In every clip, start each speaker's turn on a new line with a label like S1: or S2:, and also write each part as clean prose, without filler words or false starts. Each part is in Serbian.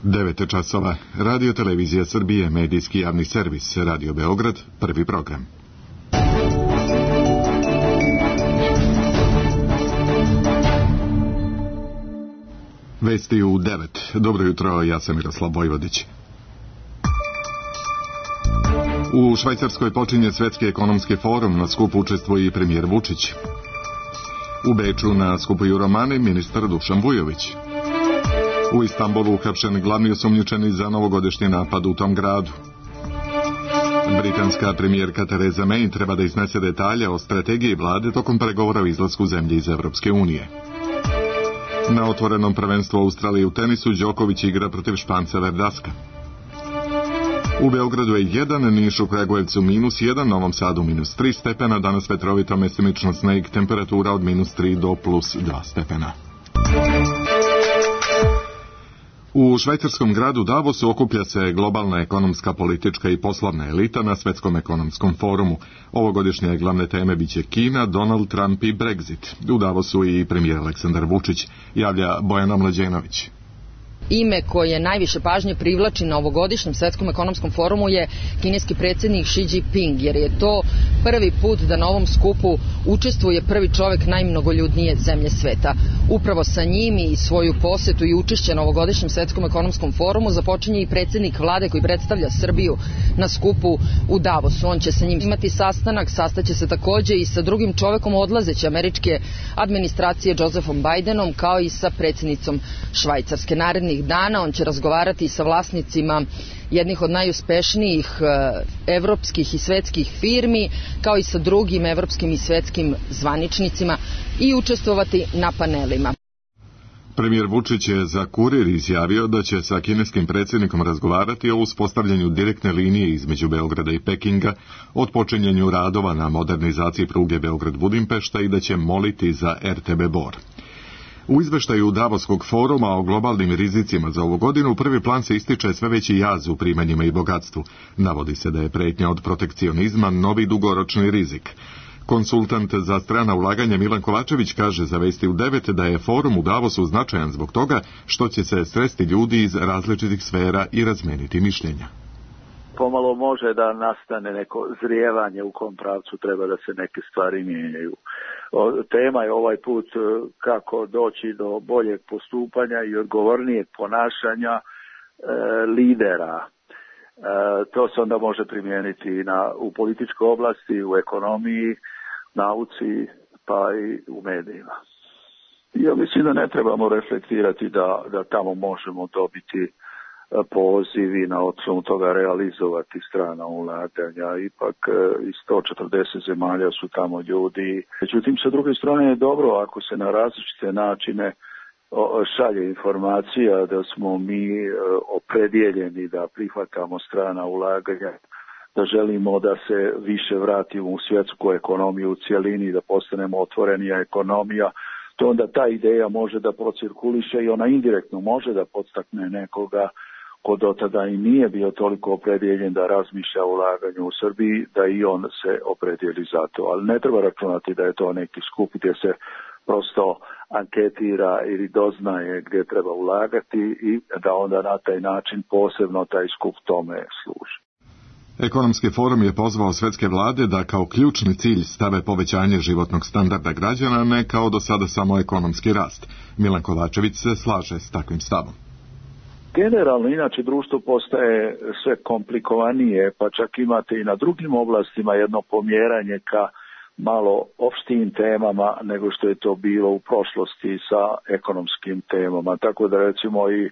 S1: 9 časova. Radio Televizija Srbije, medijski javni servis, Radio Beograd, prvi program. Vesti u 9. Dobro jutro, ja sam Miroslav Vojvodić. U Švajcarskoj počinje Svetski ekonomski forum, na skupu učestvuje i premijer Vučić. U Beču na skupu Euromani ministar Dušan Vujović. U Istanbulu uhapšen glavni osumnjičeni za novogodišnji napad u tom gradu. Britanska premijerka Theresa May treba da iznese detalje o strategiji vlade tokom pregovora o izlasku zemlje iz Evropske unije. Na otvorenom prvenstvu Australije u tenisu Đoković igra protiv Španca Verdaska. U Beogradu je 1, Niš u Kragujevcu -1, Novom Sadu -3 stepena, danas vetrovito, mestimično sneg, temperatura od -3 do +2 stepena. U švajcarskom gradu Davosu okuplja se globalna ekonomska, politička i poslovna elita na Svetskom ekonomskom forumu. Ovogodišnje glavne teme biće Kina, Donald Trump i Brexit. U Davosu i premijer Aleksandar Vučić, javlja Bojana Mlađenović.
S2: Ime koje najviše pažnje privlači na ovogodišnjem Svetskom ekonomskom forumu je kineski predsjednik Xi Jinping, jer je to prvi put da na ovom skupu učestvuje prvi čovjek najmnogoljudnije zemlje sveta. Upravo sa njim i svoju posetu i učešće na ovogodišnjem Svetskom ekonomskom forumu započinje i predsjednik vlade koji predstavlja Srbiju na skupu u Davosu. On će sa njim imati sastanak, sastaće se također i sa drugim čovjekom odlazeće američke administracije Josephom Bidenom, kao i sa predsjednicom Švajcarske. Narednih dana on će razgovarati sa vlasnicima jednih od najuspešnijih evropskih i svetskih firmi, kao i sa drugim evropskim i svetskim zvaničnicima i učestvovati na panelima.
S1: Premijer Vučić je za Kurir izjavio da će sa kineskim predsjednikom razgovarati o uspostavljanju direktne linije između Beograda i Pekinga, otpočinjanju radova na modernizaciji pruge Beograd-Budimpešta i da će moliti za RTB Bor. U izveštaju Davoskog foruma o globalnim rizicima za ovu godinu prvi plan se ističe sve veći jaz u primanjima i bogatstvu. Navodi se da je pretnja od protekcionizma novi dugoročni rizik. Konsultant za strana ulaganja Milan Kovačević kaže za Vesti u 9 da je forum u Davosu značajan zbog toga što će se sresti ljudi iz različitih sfera i razmeniti mišljenja.
S3: Pomalo može da nastane neko zrijevanje u kom pravcu treba da se neke stvari mijenjaju. Tema je ovaj put kako doći do boljeg postupanja i odgovornijeg ponašanja lidera. To se onda može primijeniti u političkoj oblasti, u ekonomiji, nauci, pa i u medijima. Ja mislim da ne trebamo reflektirati da tamo možemo dobiti poziv i na osnovu toga realizovati strana ulaganja. Ipak iz 140 zemalja su tamo ljudi. Međutim, sa druge strane je dobro ako se na različite načine šalje informacija da smo mi opredjeljeni da prihvatamo strana ulaganja, da želimo da se više vratimo u svjetsku ekonomiju u cjelini, da postanemo otvorenija ekonomija, to onda ta ideja može da procirkuliše i ona indirektno može da podstakne nekoga ko do tada i nije bio toliko opredjeljen da razmišlja o ulaganju u Srbiji, da i on se opredjeli za to. Ali ne treba računati da je to neki skup gdje se prosto anketira ili doznaje gdje treba ulagati i da onda na taj način posebno taj skup tome služi.
S1: Ekonomski forum je pozvao svetske vlade da kao ključni cilj stave povećanje životnog standarda građana, ne kao do sada samo ekonomski rast. Milan Kovačević se slaže s takvim stavom.
S3: Generalno, inače, društvo postaje sve komplikovanije, pa čak imate i na drugim oblastima jedno pomjeranje ka malo opštijim temama nego što je to bilo u prošlosti sa ekonomskim temama. Tako da recimo i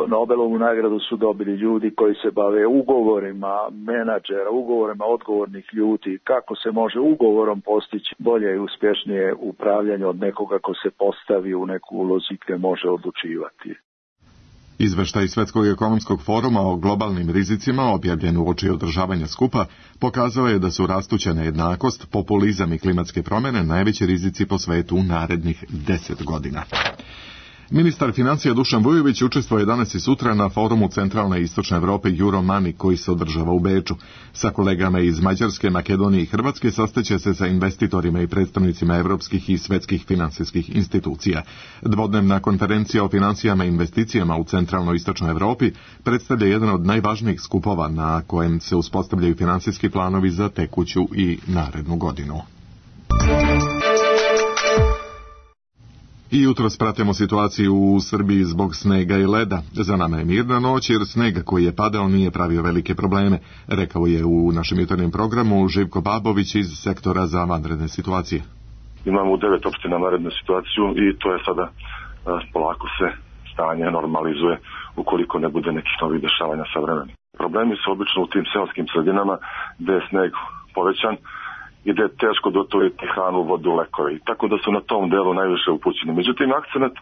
S3: Nobelovu nagradu su dobili ljudi koji se bave ugovorima menadžera, ugovorima odgovornih ljudi, kako se može ugovorom postići bolje i uspješnije upravljanje od nekoga ko se postavi u neku ulozi gdje može odlučivati.
S1: Izveštaj Svetskog ekonomskog foruma o globalnim rizicima, objavljen uoči održavanja skupa, pokazao je da su rastuća nejednakost, populizam i klimatske promjene najveći rizici po svetu u narednih 10 godina. Ministar financija Dušan Vujović učestvuje danas i sutra na forumu Centralne i Istočne Evrope Euromani koji se održava u Beču. Sa kolegama iz Mađarske, Makedonije i Hrvatske sastaće se sa investitorima i predstavnicima evropskih i svetskih finansijskih institucija. Dvodnevna konferencija o financijama i investicijama u Centralnoj i Istočnoj Evropi predstavlja jedan od najvažnijih skupova na kojem se uspostavljaju finansijski planovi za tekuću i narednu godinu. I jutros pratimo situaciju u Srbiji zbog snega i leda. Za nama je mirna noć jer sneg koji je padao nije pravio velike probleme, rekao je u našem jutarnjem programu Živko Babović iz sektora za vanredne situacije.
S4: Imamo u 9 opština vanrednu situaciju i to je sada polako se stanje normalizuje ukoliko ne bude nekih novih dešavanja sa vremenom. Problemi su obično u tim seoskim sredinama gde je sneg povećan i da je teško dotoriti hranu, vodu, lekove. Tako da su na tom delu najviše upućeni. Međutim, akcenat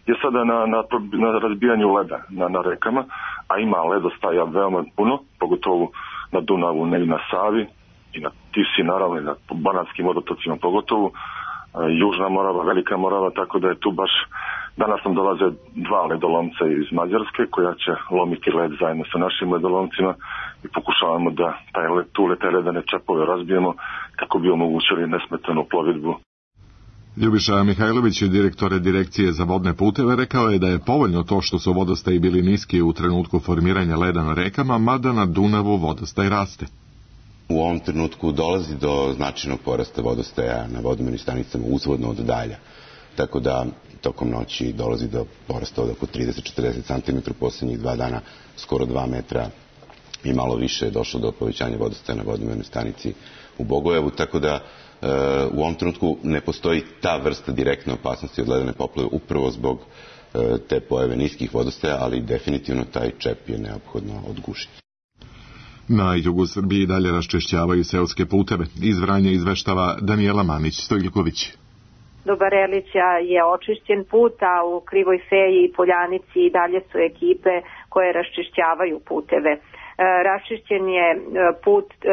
S4: je sada na razbijanju leda na rekama, a ima ledostaja veoma puno, pogotovo na Dunavu, ne i na Savi, i na Tisi, naravno, i na Banatskim vodotocima pogotovo, Južna Morava, Velika Morava, tako da je tu baš, danas nam dolaze 2 ledolomca iz Mađarske koja će lomiti led zajedno sa našim ledolomcima i pokušavamo da te ledane čepove razbijemo kako bi omogućili nesmetanu plovidbu.
S1: Ljubiša Mihajlović, direktor Direkcije za vodne puteve, rekao je da je povoljno to što su vodostaji bili niski u trenutku formiranja leda na rekama, mada na Dunavu vodostaj raste.
S5: U ovom trenutku dolazi do značajnog porasta vodostaja na vodomernim stanicama uzvodno od Dalja. Tako da tokom noći dolazi do porasta od oko 30-40 cm, posljednjih 2 dana skoro 2 metra i malo više je došlo do povećanja vodostaja na vodomernoj stanici u Bogojevu, tako da u ovom trenutku ne postoji ta vrsta direktne opasnosti od ledene poplave upravo zbog te pojave niskih vodostaja, ali definitivno taj čep je neophodno odgušiti.
S1: Na jugu Srbiji dalje raščišćavaju seoske puteve. Iz Vranja izveštava Danijela Manić-Stojljković.
S6: Do Barelića je očišćen put, a u Krivoj Feji i Poljanici i dalje su ekipe koje raščišćavaju puteve.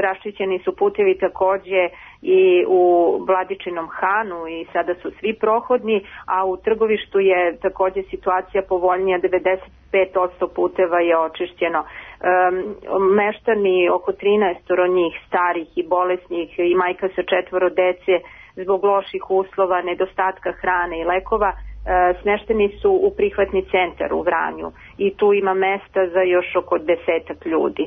S6: Raščišćeni su putevi takođe i u Vladičinom Hanu i sada su svi prohodni, a u Trgovištu je takođe situacija povoljnija, 95% puteva je očišćeno. Meštani, oko 13 njih, starih i bolesnih i majka sa 4 dece, zbog loših uslova, nedostatka hrane i lekova, smešteni su u prihvatni centar u Vranju i tu ima mesta za još oko 10 ljudi.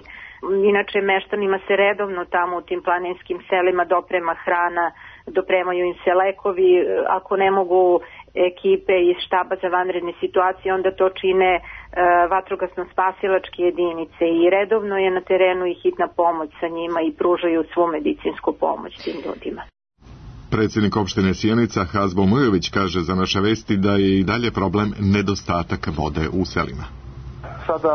S6: Inače, meštanima se redovno tamo u tim planinskim selima doprema hrana, dopremaju im se lekovi, ako ne mogu ekipe iz štaba za vanredne situacije, onda to čine vatrogasno-spasilačke jedinice i redovno je na terenu i hitna pomoć sa njima i pružaju svu medicinsku pomoć tim ljudima.
S1: Predsjednik opštine Sjenica Hazbo Mujović kaže za naše vesti da je i dalje problem nedostatak vode u selima.
S7: Sada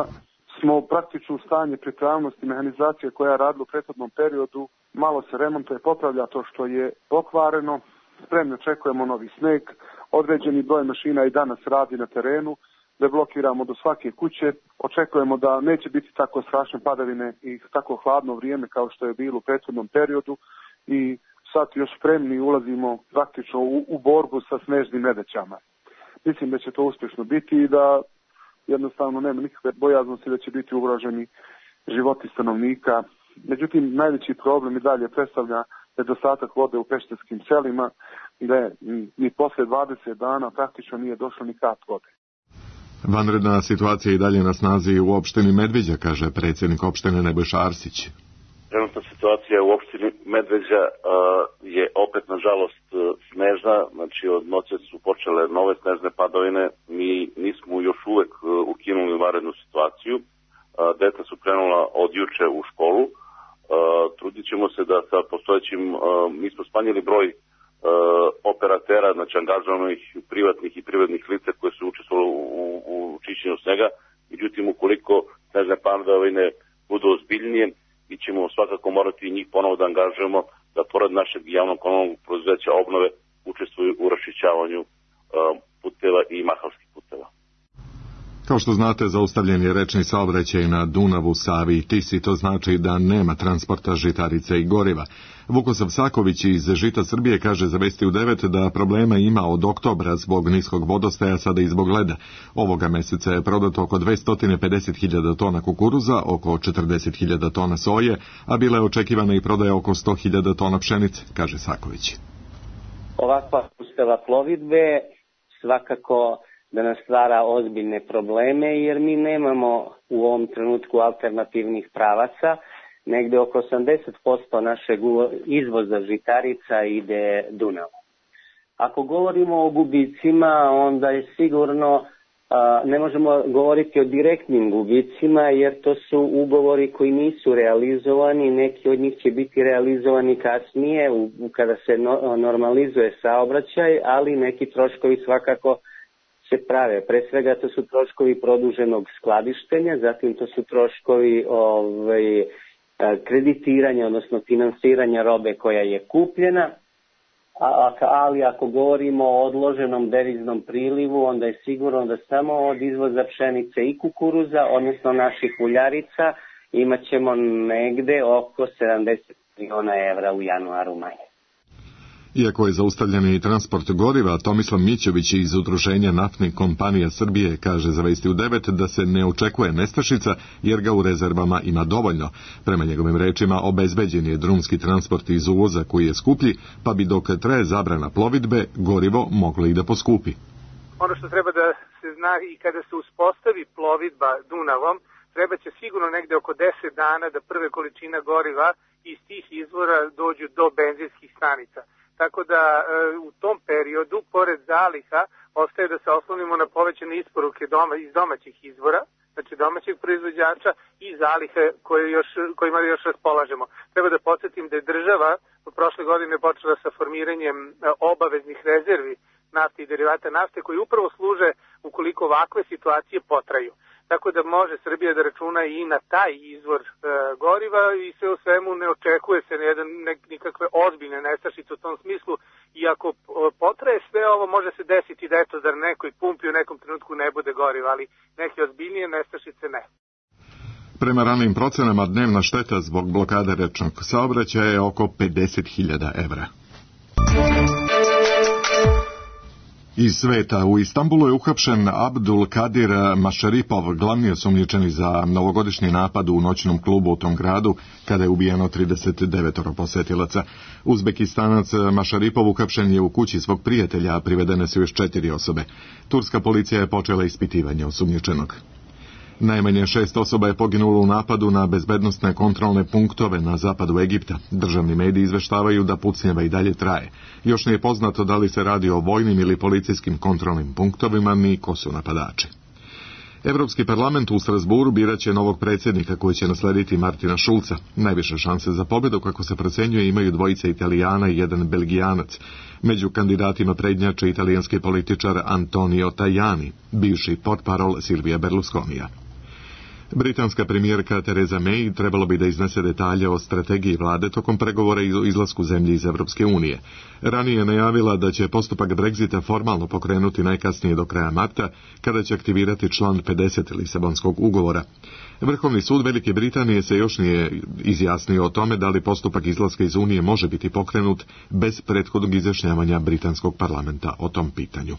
S7: smo praktično u stanje pripravnosti mehanizacije koja je radila u prethodnom periodu. Malo se remontuje, popravlja to što je pokvareno. Spremno očekujemo novi sneg. Određeni broj mašina i danas radi na terenu. Deblokiramo do svake kuće. Očekujemo da neće biti tako strašne padavine i tako hladno vrijeme kao što je bilo u prethodnom periodu. I sad još spremni ulazimo praktično u borbu sa snežnim nedaćama. Mislim da će to uspješno biti i da jednostavno nema nikakve bojaznosti da će biti ugroženi životi stanovnika. Međutim, najveći problem i dalje predstavlja nedostatak vode u pešterskim selima, gdje ni posle 20 dana praktično nije došlo ni kap vode.
S1: Vanredna situacija i dalje na snazi u opštini Medveđa, kaže predsjednik opštine Nebojša Arsić.
S8: Trenutna situacija u opštini Medveđa je opet, nažalost, snežna, znači od noće su počele nove snežne padavine, mi nismo još uvek ukinuli vanrednu situaciju, deca su krenula od juče u školu, trudit ćemo se da sa postojećim, mi smo smanjili broj operatera, znači angažovanih privatnih i privrednih lica koje su učestvovali u čišćenju snega, međutim ukoliko snežne padavine budu ozbiljnije, mi ćemo svakako morati njih ponovo da angažujemo da pored našeg javnog komunalnog preduzeća obnove učestvuju u raščišćavanju puteva i mahalskih puteva.
S1: Kao što znate, zaustavljen je rečni saobraćaj na Dunavu, Savi i Tisi, to znači da nema transporta žitarica i goriva. Vukosav Saković iz Žita Srbije kaže za Vesti u 9 da problema ima od oktobra zbog niskog vodostaja, sada i zbog leda. Ovoga meseca je prodato oko 250.000 tona kukuruza, oko 40.000 tona soje, a bila je očekivana i prodaja oko 100.000 tona pšenice, kaže Saković.
S9: Ovakva uspjela plovidbe svakako da nas stvara ozbiljne probleme, jer mi nemamo u ovom trenutku alternativnih pravaca. Negde oko 80% našeg izvoza žitarica ide Dunavom. Ako govorimo o gubicima, onda je sigurno ne možemo govoriti o direktnim gubicima, jer to su ugovori koji nisu realizovani, neki od njih će biti realizovani kasnije kada se normalizuje saobraćaj, ali neki troškovi svakako se prave. Pre svega to su troškovi produženog skladištenja, zatim to su troškovi kreditiranja, odnosno finansiranja robe koja je kupljena, ali ako govorimo o odloženom deviznom prilivu, onda je sigurno da samo od izvoza pšenice i kukuruza, odnosno naših uljarica, imat ćemo negde oko 70 miliona evra u januaru manje.
S1: Iako je zaustavljen i transport goriva, Tomislav Mićović iz Udruženja naftnih kompanija Srbije kaže za Vesti u 9 da se ne očekuje nestašica jer ga u rezervama ima dovoljno. Prema njegovim rečima obezbeđen je drumski transport iz uvoza koji je skuplji, pa bi dok traje zabrana plovidbe gorivo moglo i da poskupi.
S10: Ono što treba da se zna i kada se uspostavi plovidba Dunavom, treba će sigurno negde oko 10 dana da prve količina goriva iz tih izvora dođu do benzinskih stanica. Tako da u tom periodu, pored zaliha, ostaje da se oslonimo na povećane isporuke iz domaćih izvora, znači domaćeg proizvođača i zalihe kojima još raspolažemo. Treba da podsjetim da je država prošle godine počela sa formiranjem obaveznih rezervi nafte i derivata nafte koji upravo služe ukoliko ovakve situacije potraju. Tako da može Srbija da računa i na taj izvor goriva i sve u svemu ne očekuje se nikakve ozbiljne nestašice u tom smislu. I ako potraje sve ovo, može se desiti da da nekoj pumpi u nekom trenutku ne bude goriva, ali neke ozbiljnije nestašice ne.
S1: Prema ranijim procenama dnevna šteta zbog blokade rečnog saobraćaja je oko 50.000 evra. Iz sveta, u Istanbulu je uhapšen Abdul Kadir Mašaripov, glavni osumnjičeni za novogodišnji napad u noćnom klubu u tom gradu, kada je ubijeno 39 posetilaca. Uzbekistanac Mašaripov uhapšen je u kući svog prijatelja, a privedene su još 4 osobe. Turska policija je počela ispitivanje osumnjičenog. Najmanje 6 osoba je poginulo u napadu na bezbednosne kontrolne punktove na zapadu Egipta. Državni mediji izveštavaju da pucnjava i dalje traje. Još nije poznato da li se radi o vojnim ili policijskim kontrolnim punktovima ni ko su napadači. Evropski parlament u Strasburu biraće novog predsjednika koji će naslediti Martina Šulca. Najviše šanse za pobjedu, kako se procenjuje, imaju dvojica Italijana i jedan Belgijanac. Među kandidatima prednjače italijanski političar Antonio Tajani, bivši portparol Silvija Berlusconija. Britanska premijerka Theresa May trebalo bi da iznese detalje o strategiji vlade tokom pregovora o izlasku zemlje iz Evropske unije. Ranije je najavila da će postupak Brexita formalno pokrenuti najkasnije do kraja marta, kada će aktivirati član 50 Lisabonskog ugovora. Vrhovni sud Velike Britanije se još nije izjasnio o tome da li postupak izlaska iz Unije može biti pokrenut bez prethodnog izjašnjavanja britanskog parlamenta o tom pitanju.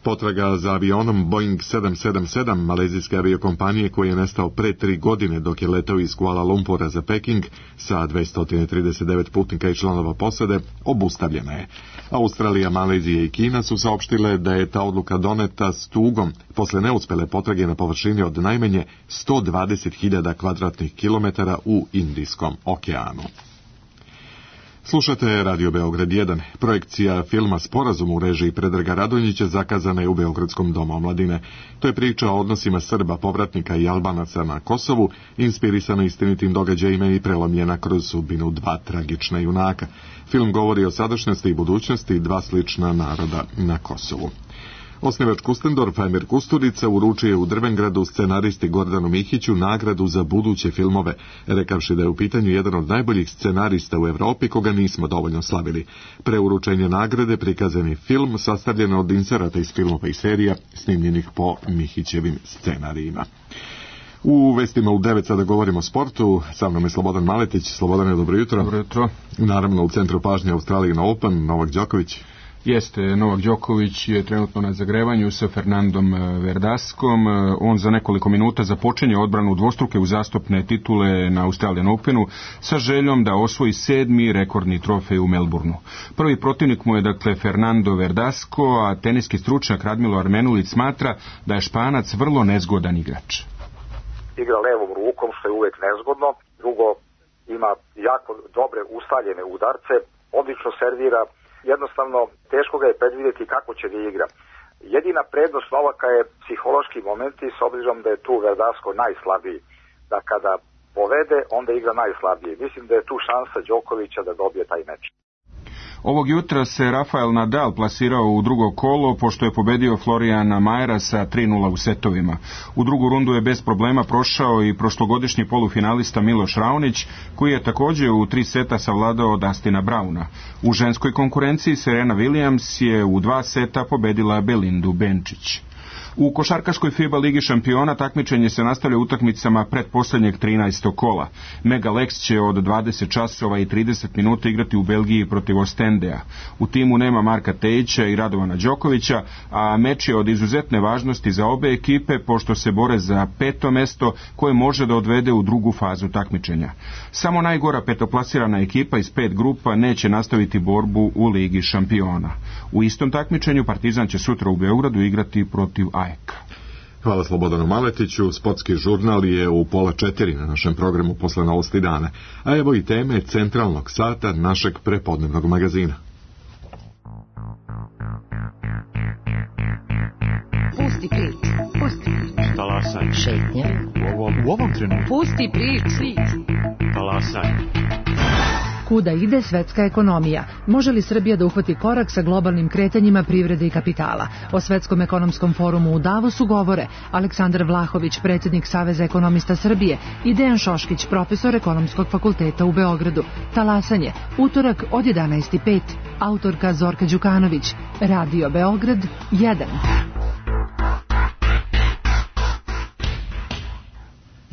S1: Potraga za avionom Boeing 777 malezijske aviokompanije koji je nestao pre 3 godine dok je letao iz Kuala Lumpura za Peking sa 239 putnika i članova posade obustavljena je. Australija, Malezija i Kina su saopštile da je ta odluka doneta s tugom posle neuspele potrage na površini od najmanje 120.000 kvadratnih kilometara u Indijskom okeanu. Slušate Radio Beograd 1. Projekcija filma Sporazum u režiji Predraga Radonjića zakazana je u Beogradskom domu omladine. To je priča o odnosima Srba, povratnika i Albanaca na Kosovu, inspirisana istinitim događajima i prelomljena kroz sudbinu 2 tragična junaka. Film govori o sadašnjosti i budućnosti 2 slična naroda na Kosovu. Osnivač Kustendorfa Emir Kusturica uručio je u Drvengradu scenaristi Gordanu Mihiću nagradu za buduće filmove, rekavši da je u pitanju jedan od najboljih scenarista u Evropi koga nismo dovoljno slavili. Pre uručenja nagrade prikazan je film sastavljen od inserata iz filmova i serija snimljenih po Mihićevim scenarijima. U vestima u 9 sada govorimo o sportu. Sa mnom je Slobodan Maletić. Slobodane, dobro jutro.
S11: Dobro jutro.
S1: Naravno u centru pažnje Australian Open, Novak Đoković.
S11: Jeste, Novak Đoković je trenutno na zagrevanju sa Fernandom Verdaskom. On za nekoliko minuta započinje odbranu dvostruke uzastopne titule na Australian Openu sa željom da osvoji 7. rekordni trofej u Melbourneu. Prvi protivnik mu je dakle Fernando Verdasco, a teniski stručnjak Radmilo Armenulić smatra da je Španac vrlo nezgodan igrač.
S12: Igra levom rukom, što je uvek nezgodno. Drugo, ima jako dobre ustaljene udarce, odlično servira. Jednostavno, teško ga je predvidjeti kako će da igra. Jedina prednost Novaka je psihološki momenti, s obzirom da je tu Verdasco najslabiji. Da kada povede, onda igra najslabije. Mislim da je tu šansa Đokovića da dobije taj meč.
S11: Ovog jutra se Rafael Nadal plasirao u drugo kolo, pošto je pobedio Florijana Majera sa 3:0 u setovima. U drugu rundu je bez problema prošao i prošlogodišnji polufinalista Miloš Raonić, koji je također u 3 seta savladao Dustina Browna. U ženskoj konkurenciji Serena Williams je u 2 seta pobedila Belindu Benčić. U košarkaškoj FIBA Ligi šampiona takmičenje se nastavlja utakmicama pretposlednjeg 13. kola. Mega Lex će od 20 časova i 30 minuta igrati u Belgiji protiv Ostendea. U timu nema Marka Tejića i Radovana Đokovića, a meč je od izuzetne važnosti za obe ekipe, pošto se bore za 5. mesto koje može da odvede u drugu fazu takmičenja. Samo najgora petoplasirana ekipa iz 5 grupa neće nastaviti borbu u Ligi šampiona. U istom takmičenju Partizan će sutra u Beogradu igrati protiv AEK.
S1: Hvala Slobodanu Maletiću. Sportski žurnal je u 3:30 na našem programu posle Novosti dana. A evo i teme centralnog sata našeg prepodnevnog magazina.
S13: Pusti prič.
S14: Talasaj.
S13: Šetnja.
S14: U ovom trenutku.
S13: Pusti prič.
S14: Talasaj.
S15: Kuda ide svetska ekonomija? Može li Srbija da uhvati korak sa globalnim kretanjima privrede i kapitala? O Svetskom ekonomskom forumu u Davosu govore Aleksandar Vlahović, predsjednik Saveza ekonomista Srbije, i Dejan Šoškić, profesor Ekonomskog fakulteta u Beogradu. Talasanje, utorak od 11:05. Autorka Zorka Đukanović. Radio Beograd 1.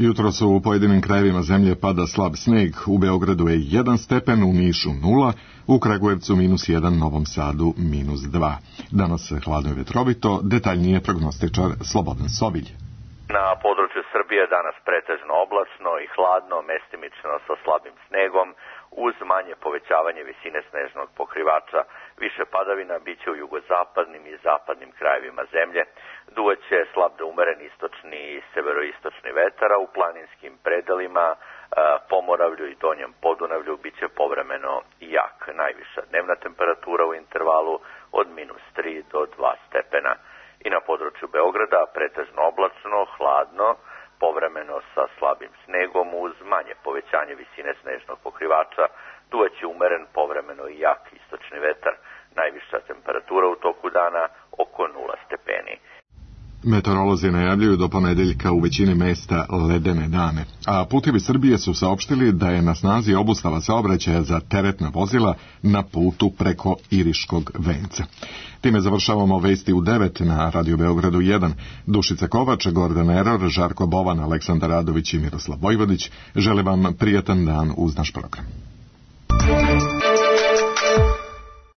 S1: Jutro su u pojedinim krajevima zemlje pada slab sneg. U Beogradu je 1 stepen, u Nišu 0, u Kragujevcu -1, Novom Sadu -2. Danas hladno i vetrovito, detaljnije prognostičar Slobodan Sovilj.
S16: Na području Srbije danas pretežno oblačno i hladno, mestimično sa slabim snegom, uz manje povećavanje visine snežnog pokrivača. Više padavina biće u jugozapadnim i zapadnim krajevima zemlje. Duvaće slab do umeren istočni i severoistočni vetar, a u planinskim predelima, Pomoravlju i Donjem Podunavlju biće povremeno jak. Najviša dnevna temperatura u intervalu od -3 do 2 stepena. I na području Beograda pretežno oblačno, hladno, povremeno sa slabim snegom uz manje povećanje visine snežnog pokrivača, duvaće umeren, povremeno i jak istočni vetar. Najviša temperatura u toku dana oko 0 stepeni.
S1: Meteorolozi najavljuju do ponedeljka u većini mesta ledene dane, a Putevi Srbije su saopštili da je na snazi obustava saobraćaja za teretna vozila na putu preko Iriškog venca. Time završavamo vesti u 9 na Radio Beogradu 1. Dušica Kovač, Gordana Eror, Žarko Bovan, Aleksandar Radović i Miroslav Vojvodić žele vam prijatan dan uz naš program.